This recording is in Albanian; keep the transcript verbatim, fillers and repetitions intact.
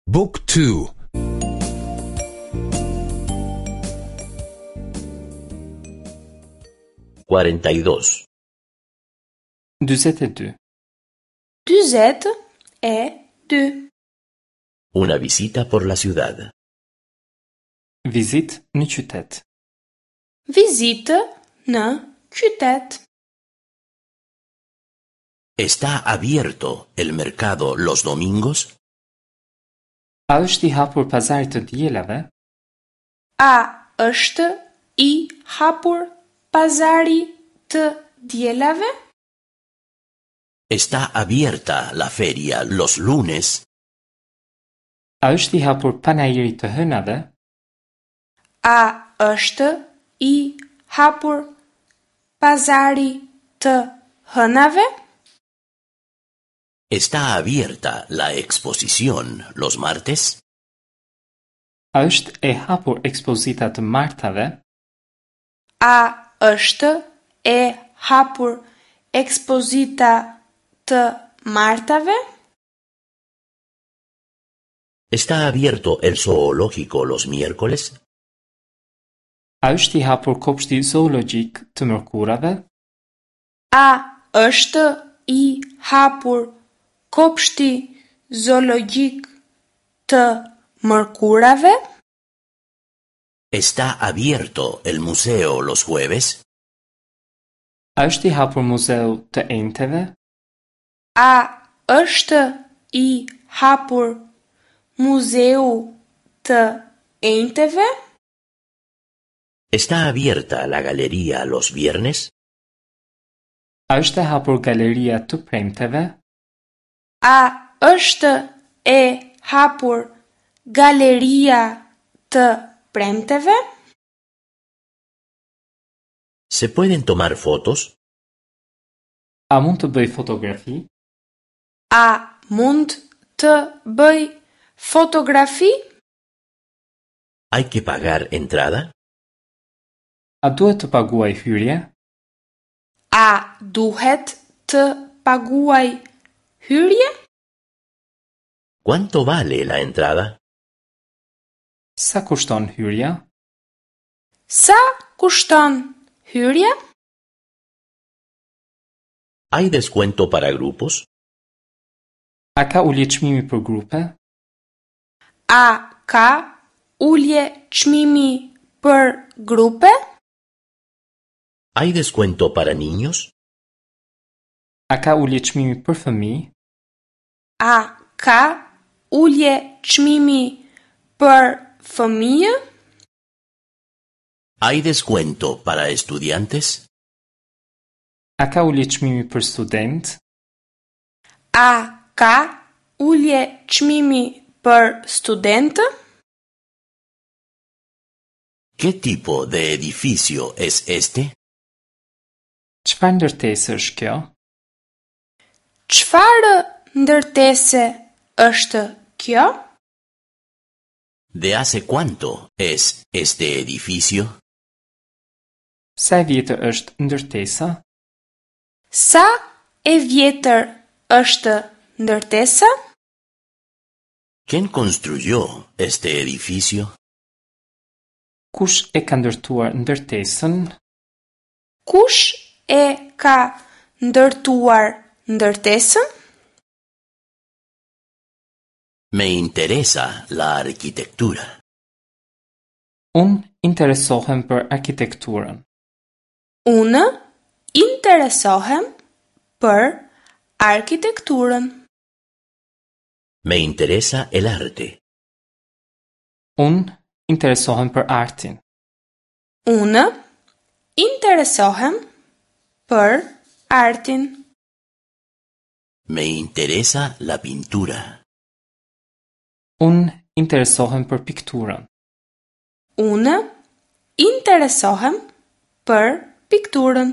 Book two. cuarenta y dos. Dyzet e dy. Dyzet e dy. Una visita por la ciudad. Vizitë në qytet. Vizitë në qytet. ¿Está abierto el mercado los domingos? A është i hapur pazari të dielave? A është i hapur pazari të dielave? ¿Está abierta la feria los lunes? A është i hapur panairi të hënave? A është i hapur pazari të hënave? ¿Está abierta la exposición los martes? A është e hapur ekspozita të martave? A është e hapur ekspozita të martave? ¿Está abierto el zoológico los miércoles? A është i hapur kopshti zoologjik të mërkurave? A është i hapur kopshti zoologjik të mërkurave? ¿Está abierto el museo los jueves? A është i hapur muzeu të enjteve? A është i hapur muzeu të enjteve? ¿Está abierta la galería los viernes? A është e hapur galeria të premteve? A është e hapur galeria të premteve? ¿Se pueden tomar fotos? A mund të bëj fotografi? A mund të bëj fotografi? ¿Hay que pagar entrada? A duhet të paguaj hyrje? A duhet të paguaj hyrje? ¿Cuánto vale la entrada? Sa kushton hyrja? Sa kushton hyrja? ¿Hay descuento para grupos? A ka ulje çmimi për grupe? A ka ulje çmimi për grupe? ¿Hay descuento para niños? A ka ulje çmimi për fëmijë? A ka ulje çmimi për fëmijë? ¿Hay descuento para estudiantes? A ka ulje çmimi për student? A ka ulje çmimi për studentë? ¿Qué tipo de edificio es este? Çfarë ndërtese është kjo? Çfarë ndërtese është kjo? ¿De hace cuánto es este edificio? Sa e vjetër është ndërtesa? Sa e vjetër është ndërtesa? ¿Quién construyó este edificio? Kush e ka ndërtuar ndërtesën? Kush e ka ndërtuar ndërtesën? Me interesa la arquitectura. Unë interesohem për arkitekturën. Unë interesohem për arkitekturën. Me interesa el arte. Unë interesohem për artin. Unë interesohem për artin. Me interesa la pintura. Unë interesohem për pikturën. Unë interesohem për pikturën.